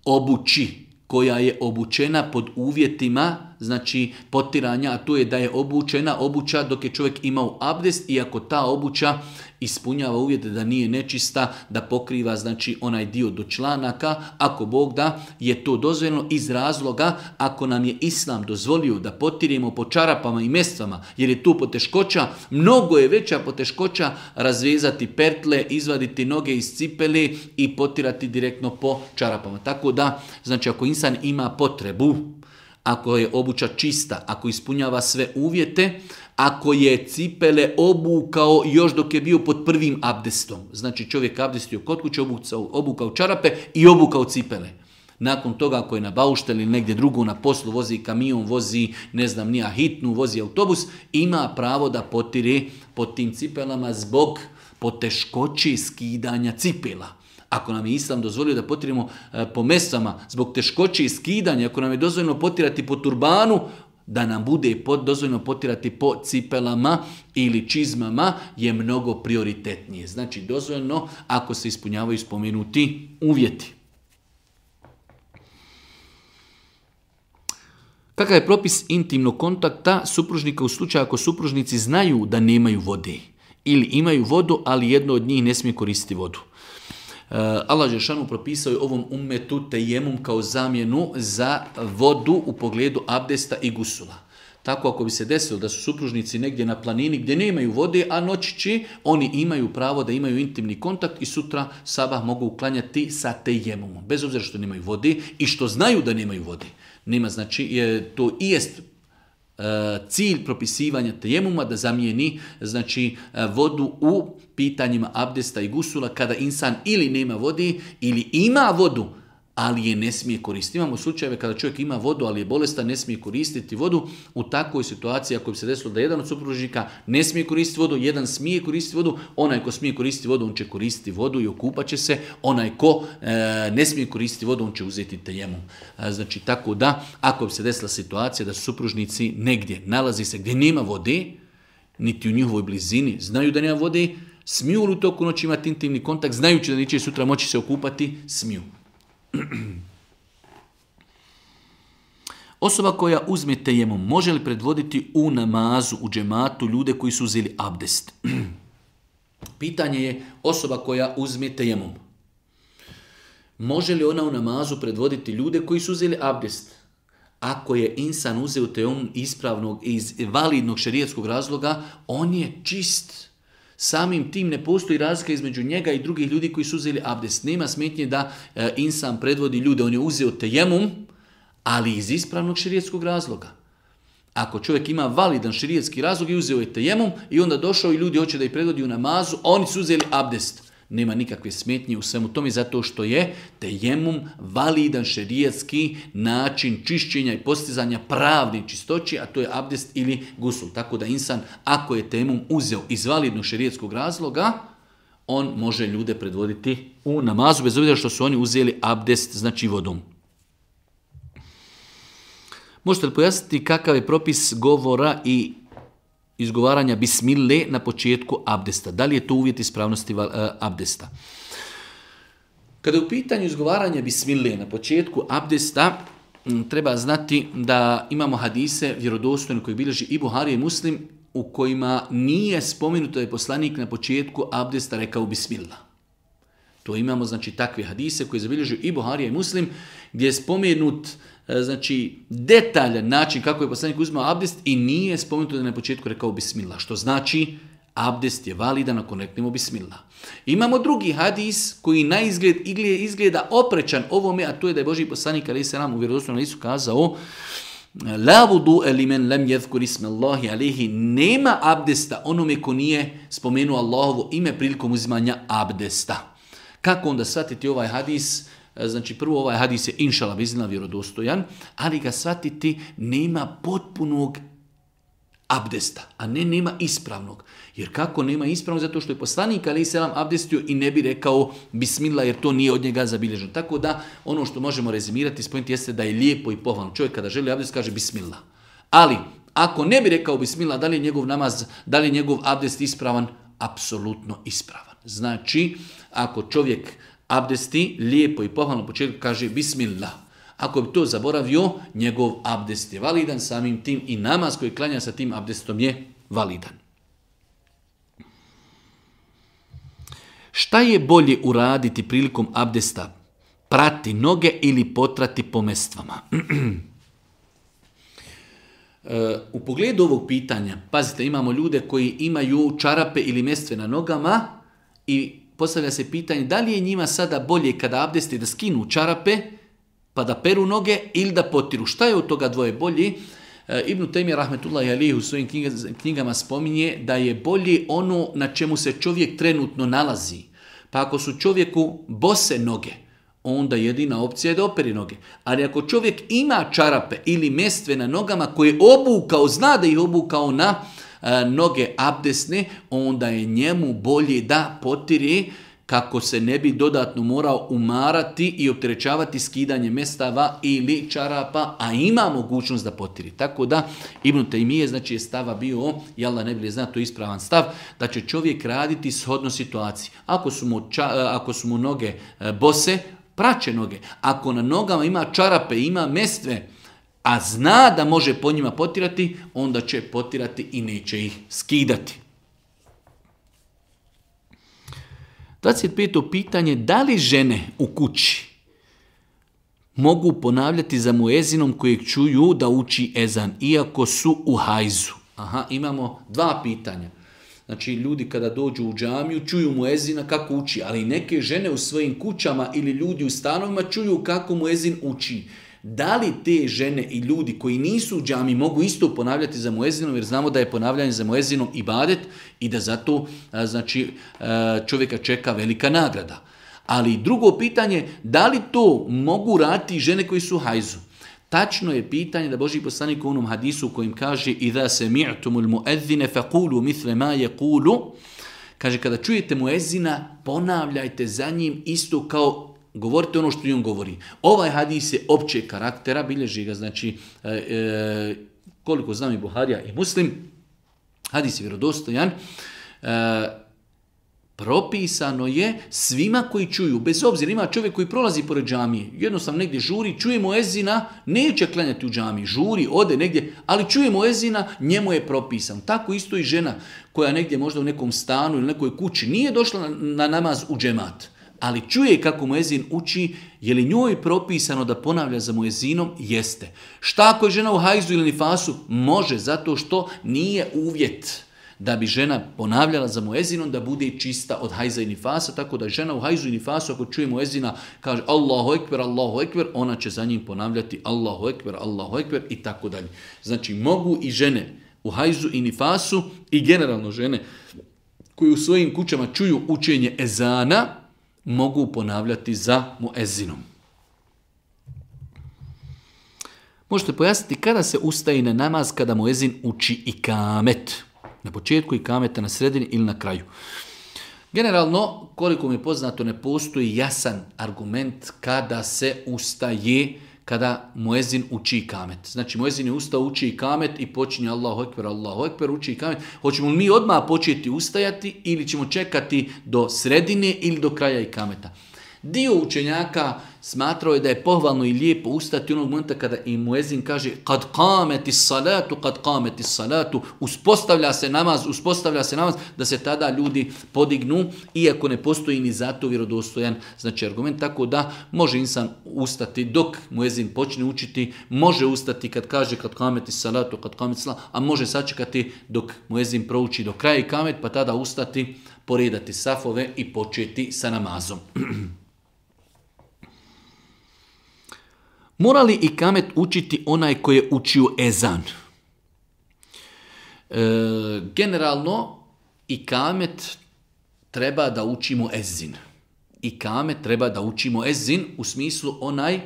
obući koja je obučena pod uvjetima, znači potiranja, a to je da je obučena obuća dok je čovjek imao abdest i ako ta obuća ispunjava uvjete da nije nečista, da pokriva znači onaj dio do članaka, ako Bog da je to dozvoljeno iz razloga ako nam je Islam dozvolio da potirimo po čarapama i mestvama, jer je tu poteškoća, mnogo je veća poteškoća razvezati pertle, izvaditi noge iz cipele i potirati direktno po čarapama. Tako da, znači ako insan ima potrebu, ako je obuća čista, ako ispunjava sve uvjete, ako je cipele obukao još dok je bio pod prvim abdestom, znači čovjek abdestio kod kuće, obukao čarape i obukao cipele. Nakon toga ako je na baušteli ili negdje drugo na poslu, vozi kamion, vozi ne znam nija hitnu, vozi autobus, ima pravo da potire pod tim cipelama zbog poteškoći skidanja cipela. Ako nam je Islam dozvolio da potirimo po mestvama zbog teškoće i skidanja, ako nam je dozvoljeno potirati po turbanu, da nam bude dozvoljeno potirati po cipelama ili čizmama je mnogo prioritetnije. Znači dozvoljeno ako se ispunjavaju spomenuti uvjeti. Kakav je propis intimnog kontakta supružnika u slučaju ako supružnici znaju da nemaju vode ili imaju vodu, ali jedno od njih ne smije koristiti vodu? Allah dželešanu propisao je ovom ummetu tejemum kao zamjenu za vodu u pogledu abdesta i gusula. Tako ako bi se desilo da su supružnici negdje na planini gdje nemaju vode, a noćići oni imaju pravo da imaju intimni kontakt i sutra sabah mogu uklanjati sa tejemumom. Bez obzira što nemaju vode i što znaju da nemaju vode. Nema, znači, to i jest cilj propisivanja tejemuma da zamijeni znači vodu u pitanjima abdesta i gusula kada insan ili nema vode ili ima vodu, ali je ne smije koristiti. Imamo slučajeve kada čovjek ima vodu, ali je bolestan, ne smije koristiti vodu. U takvoj situaciji, ako bi se desilo da jedan od supružnika ne smije koristiti vodu, jedan smije koristiti vodu, onaj ko smije koristiti vodu, on će koristiti vodu i okupat će se, onaj ko ne smije koristiti vodu, on će uzeti tejemum. Znači, tako da, ako bi se desila situacija da su supružnici negdje, nalazi se gdje nema vode, niti u njihovoj blizini, znaju da nema vode, smiju li u toku noći imati intimni kontakt, znajući da neće sutra moći se okupati, smiju. Osoba koja uzme tejemum može li predvoditi u namazu, u džematu ljude koji su uzeli abdest? Pitanje je osoba koja uzme tejemum. Može li ona u namazu predvoditi ljude koji su uzeli abdest? Ako je insan uzeo tejemum ispravnog iz validnog šerijatskog razloga, on je čist. Samim tim ne postoji razlika između njega i drugih ljudi koji su uzeli abdest. Nema smetnje da insan predvodi ljude. On je uzeo tejemum, ali iz ispravnog šerijetskog razloga. Ako čovjek ima validan šerijetski razlog i uzeo je tejemum i onda došao i ljudi hoće da ih predvodi u namazu, a oni su uzeli abdest. Nema nikakve smetnje u svemu tome zato što je tejemum validan šerijetski način čišćenja i postizanja pravne čistoće, a to je abdest ili gusul. Tako da insan, ako je tejemum uzeo iz validnog šerijetskog razloga, on može ljude predvoditi u namazu, bez obzira što su oni uzeli abdest, znači vodom. Možete li pojasniti kakav je propis govora i izgovaranja bismile na početku abdesta? Da li je to uvjet ispravnosti abdesta? Kada je u pitanju izgovaranja bismile na početku abdesta, treba znati da imamo hadise vjerodostojne koji bilježi i Buharija i Muslim, u kojima nije spomenuto da je poslanik na početku abdesta rekao bismillah. To imamo, znači, takve hadise koje zabilježuju i Buharija i Muslim, gdje je spomenut, znači, detaljan način kako je poslanik uzimao abdest i nije spomenuto da je na početku rekao bismillah, što znači abdest je validan ako reknemo bismillah. Imamo drugi hadis koji na izgleda oprečan ovome, a to je da je Božji poslanik alejhi selam u vjerodostojnom hadisu kazao: La wudu'a limen lam yadhkur isma Allahi alayhi, nema abdesta onome ko nije spomenuo Allahovo ime prilikom uzimanja abdesta. Kako onda shvatiti ovaj hadis? Znači, prvo, ovaj hadis je inšala biznila vjerodostojan, ali ga shvatiti nema potpunog abdesta, a ne nema ispravnog. Jer kako nema ispravnog? Zato što je poslanik alejhi selam abdestio i ne bi rekao bismillah, jer to nije od njega zabilježeno. Tako da ono što možemo rezimirati, spojiti jeste da je lijepo i pohvalno. Čovjek kada želi abdest kaže bismillah. Ali ako ne bi rekao bismillah, da li je njegov namaz, da li je njegov abdest ispravan? Apsolutno ispravan. Znači, ako čovjek abdesti lijepo i pohvalno u početku kaže bismillah. Ako bi to zaboravio, njegov abdest je validan, samim tim i namaz koji klanja sa tim abdestom je validan. Šta je bolje uraditi prilikom abdesta? Prati noge ili potrati po mestvama? U pogledu ovog pitanja, pazite, imamo ljude koji imaju čarape ili mestve na nogama i postavlja se pitanje da li je njima sada bolje kada abdesti da skinu čarape pa da peru noge ili da potiru. Šta je od toga dvoje bolje? Ibn Tejmija rahmetullahi alejhi u svojim knjigama spominje da je bolje ono na čemu se čovjek trenutno nalazi. Pa ako su čovjeku bose noge, onda jedina opcija je da operi noge. Ali ako čovjek ima čarape ili mestve na nogama koje obukao, zna da ih obukao na noge abdesne, onda je njemu bolje da potire kako se ne bi dodatno morao umarati i opterećavati skidanje mestava ili čarapa, a ima mogućnost da potiri. Tako da Ibn Tejmije, znači, je stava bio, i Allah ne bi zna, to je ispravan stav, da će čovjek raditi shodno situaciji. Ako su mu noge bose, praće noge. Ako na nogama ima čarape, ima mestve, a zna da može po njima potirati, onda će potirati i neće ih skidati. 25. pitanje, da li žene u kući mogu ponavljati za muezinom kojeg čuju da uči ezan, iako su u hajzu? Imamo dva pitanja. Znači, ljudi kada dođu u džamiju čuju muezina kako uči, ali neke žene u svojim kućama ili ljudi u stanovima čuju kako muezin uči. Da li te žene i ljudi koji nisu u džami mogu isto ponavljati za muezinom, jer znamo da je ponavljanje za muezinom ibadet i da zato, znači, čovjeka čeka velika nagrada. Ali drugo pitanje, da li to mogu raditi žene koji su u hajzu? Tačno je pitanje da Božji poslanik u onom hadisu u kojem kaže "Iza sami'tumul mu'adhdhina faqulu mithla ma yaqulu", kaže, kada čujete muezina, ponavljajte za njim isto kao govorite ono što on govori. Ovaj hadis je općeg karaktera, bilježi ga, znači, koliko znam, i Buharija i Muslim, hadis je vjerodostojan, propisano je svima koji čuju, bez obzira, ima čovjek koji prolazi pored džamije, jednostavno negdje žuri, čuje muezina, neće klanjati u džamiji, žuri, ode negdje, ali čuje muezina, njemu je propisan. Tako isto i žena koja negdje možda u nekom stanu ili nekoj kući nije došla na namaz u džemat, ali čuje kako muezin uči, je li njoj propisano da ponavlja za muezinom? Jeste. Šta ako je žena u hajzu ili nifasu? Može, zato što nije uvjet da bi žena ponavljala za muezinom da bude čista od hajza i nifasa, tako da žena u hajzu i nifasu ako čuje muezina kaže Allahu ekber, ona će za njim ponavljati Allahu ekber i tako dalje. Znači mogu i žene u hajzu i nifasu i generalno žene koji u svojim kućama čuju učenje ezana mogu ponavljati za muezinom. Možete pojasniti kada se ustaje na namaz kada muezin uči ikamet. Na početku ikameta, na sredini ili na kraju. Generalno, koliko mi je poznato, ne postoji jasan argument kada se ustaje kada muezin uči ikamet. Znači muezin je ustao, uči ikamet i počinje Allahu ekber, uči ikamet. Hoćemo li mi odmah početi ustajati ili ćemo čekati do sredine ili do kraja ikameta? Dio učenjaka smatrao je da je pohvalno i lijepo ustati onog momenta kada i muezin kaže kad qameti salatu, uspostavlja se namaz, da se tada ljudi podignu, iako ne postoji ni zato vjerodostojan znači argument, tako da može insan ustati dok muezin počne učiti, može ustati kad kaže kad qameti salatu, a može sačekati dok muezin prouči do kraja ikamet, pa tada ustati, poredati safove i početi sa namazom. Mora li ikamet učiti onaj koji je učio ezan? Generalno, ikamet treba da učimo ezin. Ikamet treba da učimo ezin u smislu onaj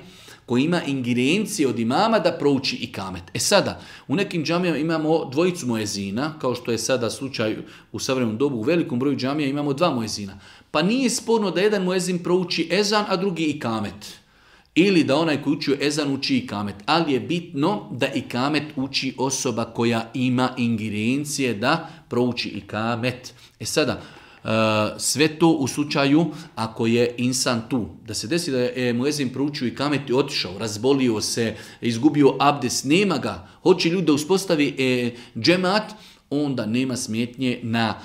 koji ima ingerencije od imama da prouči ikamet. Sada, u nekim džamijama imamo dvojicu muezina, kao što je sada slučaj u savremenom dobu, u velikom broju džamija imamo dva muezina. Pa nije sporno da jedan muezin prouči ezan, a drugi ikamet. Ili da onaj koji učio ezan uči ikamet. Ali je bitno da ikamet uči osoba koja ima ingerencije da prouči ikamet. Sada, sve to u slučaju ako je insan tu. Da se desi da je muezin proučio ikamet i otišao, razbolio se, izgubio abdest, nema ga. Hoće ljudi da uspostavi džemat, onda nema smetnje na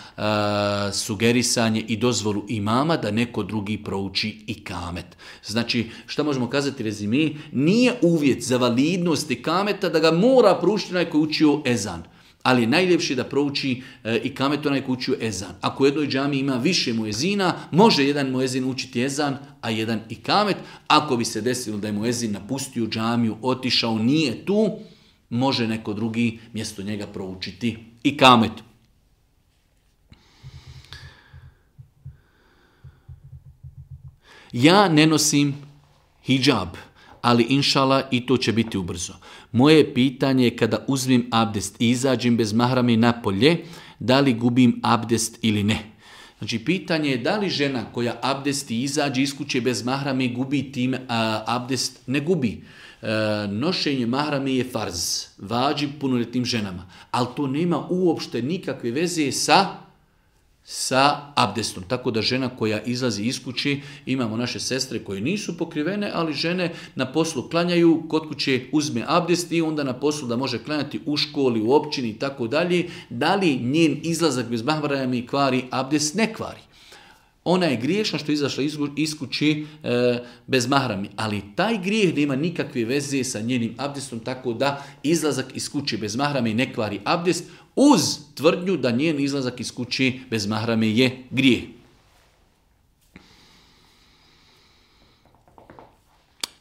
sugerisanje i dozvolu imama da neko drugi prouči ikamet. Znači, šta možemo kazati rezime? Nije uvjet za validnost ikameta da ga mora proučiti onaj koji učio ezan. Ali je najljepše da prouči ikamet onaj koji učio ezan. Ako u jednoj džamiji ima više muezina, može jedan muezin učiti ezan, a jedan ikamet. Ako bi se desilo da je muezin napustio džamiju, otišao, nije tu, može neko drugi mjesto njega proučiti ikamet. Ja ne nosim hidžab, ali inšala i to će biti ubrzo. Moje pitanje je kada uzmem abdest i izađem bez mahrame napolje, da li gubim abdest ili ne? Znači, pitanje je da li žena koja abdesti izađe iz kuće bez mahrame gubi time abdest? Ne gubi. Nošenje mahrame je farz, vađib punoljetnim ženama, ali to nema uopšte nikakve veze sa abdestom. Tako da žena koja izlazi iz kuće, imamo naše sestre koje nisu pokrivene, ali žene na poslu klanjaju, kod kuće uzme abdest i onda na poslu da može klanjati u školi, u općini i tako dalje. Da li njen izlazak bez mahrame kvari abdest? Ne kvari. Ona je griješna što je izašla iz kuće bez mahrami, ali taj grijeh nema nikakve veze sa njenim abdestom, tako da izlazak iz kuće bez mahrame ne kvari abdest, uz tvrdnju da njen izlazak iz kuće bez mahrame je grijeh.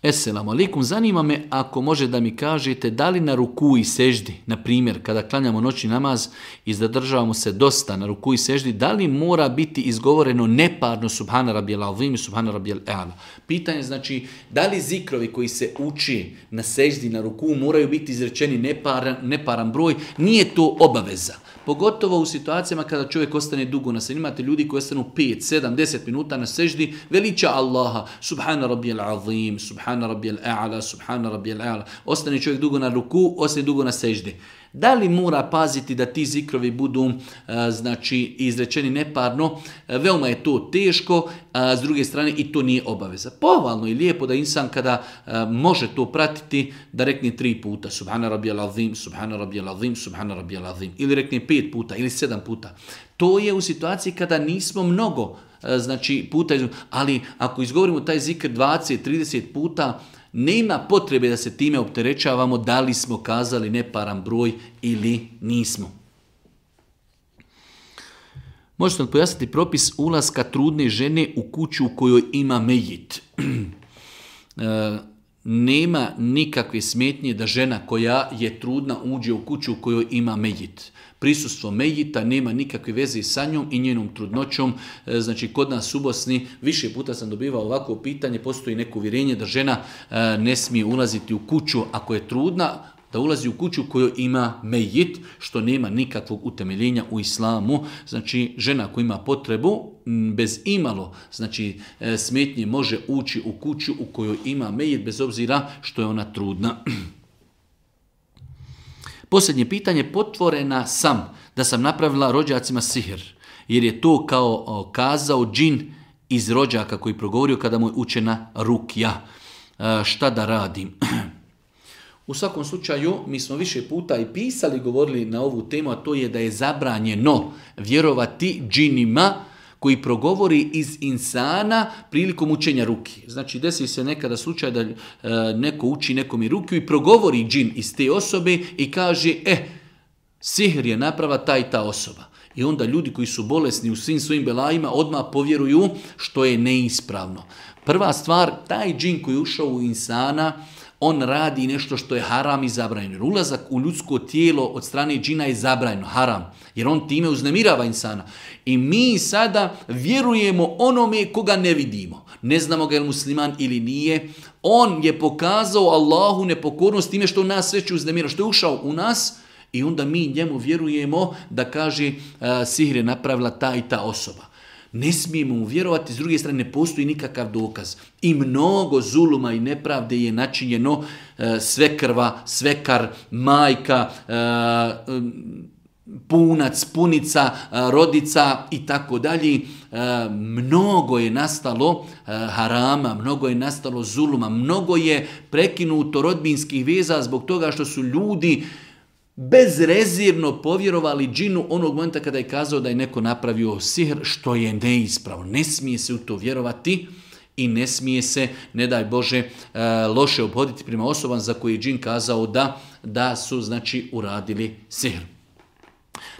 Esselamu alaikum, zanima me ako može da mi kažete da li na ruku i seždi, na primjer kada klanjamo noćni namaz i zadržavamo se dosta na ruku i seždi, da li mora biti izgovoreno neparno subhana rabijel azim i subhana rabijel a'la? Pitanje znači da li zikrovi koji se uči na seždi, na ruku moraju biti izrečeni neparan broj, nije to obaveza. Pogotovo u situacijama kada čovjek ostane dugo na seždi. Imate ljudi koji ostanu 5, 7, 10 minuta na seždi, veliča Allaha, subhana rabijel azim, subhana rabijel a'la, subhana rabijel a'la. Ostane čovjek dugo na ruku, ostane dugo na seždi. Da li mora paziti da ti zikrovi budu znači izrečeni neparno? Veoma je to teško, s druge strane i to nije obaveza. Pohvalno i lijepo da insan kada može to pratiti da rekne 3 puta subhana rabijel azim, subhana rabijel azim, subhana rabijel azim, ili rekne 5 puta ili 7 puta. To je u situaciji kada nismo mnogo znači puta, ali ako izgovorimo taj zikr 20, 30 puta, nema potrebe da se time opterećavamo da li smo kazali neparan broj ili nismo. Možete li pojasniti propis ulaska trudne žene u kuću u kojoj ima mejit? Nema nikakve smetnje da žena koja je trudna uđe u kuću u kojoj ima mejit. Prisustvo mejita nema nikakve veze sa njom i njenom trudnoćom. Znači, kod nas u Bosni više puta sam dobivao ovako pitanje, postoji neko uvjerenje da žena ne smije ulaziti u kuću ako je trudna, da ulazi u kuću u kojoj ima mejit, što nema nikakvog utemeljenja u islamu. Znači, žena koja ima potrebu, bez imalo, znači, smetnje može ući u kuću u kojoj ima mejit, bez obzira što je ona trudna. Posljednje pitanje, potvorena sam da sam napravila rođacima sihr, jer je to kao kazao džin iz rođaka koji progovorio kada mu je učena rukja. Šta da radim? U svakom slučaju, mi smo više puta i pisali, govorili na ovu temu, a to je da je zabranjeno vjerovati džinima koji progovori iz insana prilikom učenja ruki. Znači, desi se nekada slučaj da neko uči nekom i rukiju i progovori džin iz te osobe i kaže, sihr je naprava ta i ta osoba. I onda ljudi koji su bolesni u svim svojim belajima odmah povjeruju, što je neispravno. Prva stvar, taj džin koji je ušao u insana, on radi nešto što je haram i zabranjeno. Ulazak u ljudsko tijelo od strane džina je zabranjeno, haram, jer on time uznemirava insana. I mi sada vjerujemo onome koga ne vidimo. Ne znamo ga je li musliman ili nije. On je pokazao Allahu nepokornost time što nas već uznemira, što je ušao u nas i onda mi njemu vjerujemo da kaže sihr je napravila ta i ta osoba. Ne smijemo mu vjerovati, s druge strane ne postoji nikakav dokaz. I mnogo zuluma i nepravde je načinjeno, svekrva, svekar, majka, punac, punica, rodica i tako dalje. Mnogo je nastalo harama, mnogo je nastalo zuluma, mnogo je prekinuto rodbinskih veza zbog toga što su ljudi bezrezervno povjerovali džinu onog momenta kada je kazao da je neko napravio sihr, što je neispravno. Ne smije se u to vjerovati i ne smije se, ne daj Bože, loše obhoditi prema osobama za koje je džin kazao da su, znači, uradili sihr.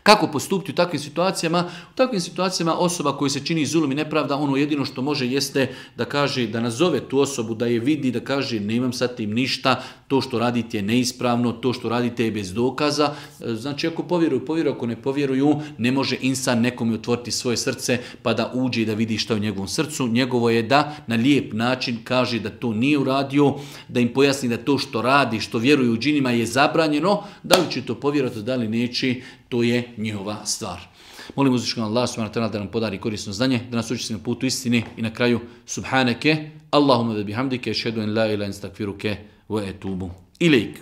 Kako postupiti u takvim situacijama? U takvim situacijama osoba koja se čini zulum i nepravda, ono jedino što može jeste da kaže, da nazove tu osobu, da je vidi, da kaže nemam sa tim ništa, to što radite je neispravno, to što radite je bez dokaza. Znači, ako povjeruju, ako ne povjeruju, ne može insan nekome otvoriti svoje srce pa da uđe i da vidi šta je u njegovom srcu. Njegovo je da na lijep način kaže da to nije uradio, da im pojasni da to što radi, što vjeruju u džinima je zabranjeno, da li će to povjerovati, da li neće, to je njihova stvar. Molim uzvišenog Allah subhanahu wa ta'ala da nam podari korisno znanje, da nas uči na putu istine i na kraju subhaneke, Allahumma da bihamdike, šedu en la ila instakfiruke wa etubu ilejk.